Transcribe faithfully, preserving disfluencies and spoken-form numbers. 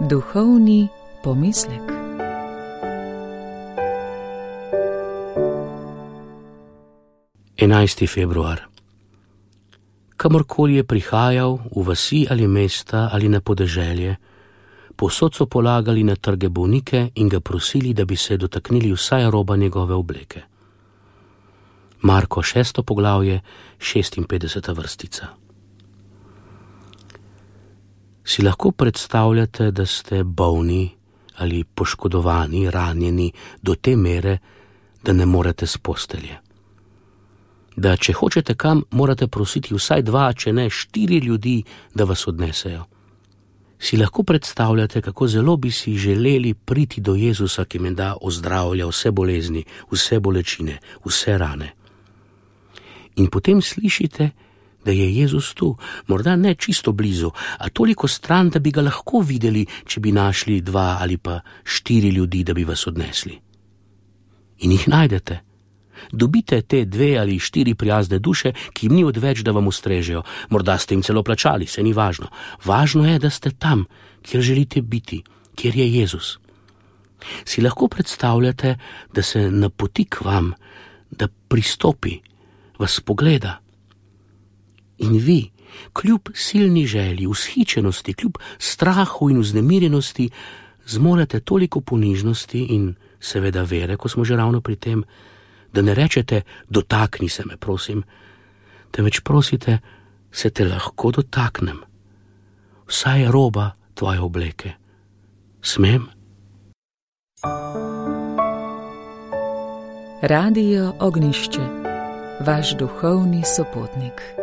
Duhovni pomislek. enajsti februar. Kamorkoli je prihajal, v vasi ali mesta ali na podeželje, povsod so polagali na trge bolnike in ga prosili, da bi se dotaknili vsaj roba njegove obleke. Marko šesto poglavje, šestinpetdeseta vrstica. Si lahko predstavljate, da ste bolni ali poškodovani, ranjeni do te mere, da ne morete s postelje? Da če hočete kam, morate prositi vsaj dva, če ne štiri ljudi, da vas odnesejo. Si lahko predstavljate, kako zelo bi si želeli priti do Jezusa, ki menda ozdravlja vse bolezni, vse bolečine, vse rane. In potem slišite, da je Jezus tu, morda ne čisto blizu, a toliko stran, da bi ga lahko videli, če bi našli dva ali pa štiri ljudi, da bi vas odnesli. In jih najdete. Dobite te dve ali štiri prijazne duše, ki jim ni odveč, da vam ustrežejo. Morda ste jim celo plačali, se ni važno. Važno je, da ste tam, kjer želite biti, kjer je Jezus. Si lahko predstavljate, da se napoti k vam, da pristopi, vas pogleda. In vi, kljub silni želji, vzhičenosti, kljub strahu in vznemirjenosti, zmorete toliko ponižnosti in seveda vere, ko smo že ravno pri tem, da ne rečete, dotakni se me, prosim, temveč prosite, se te lahko dotaknem, vsaj roba tvoje obleke. Smem? Radio Ognjišče, vaš duhovni sopotnik.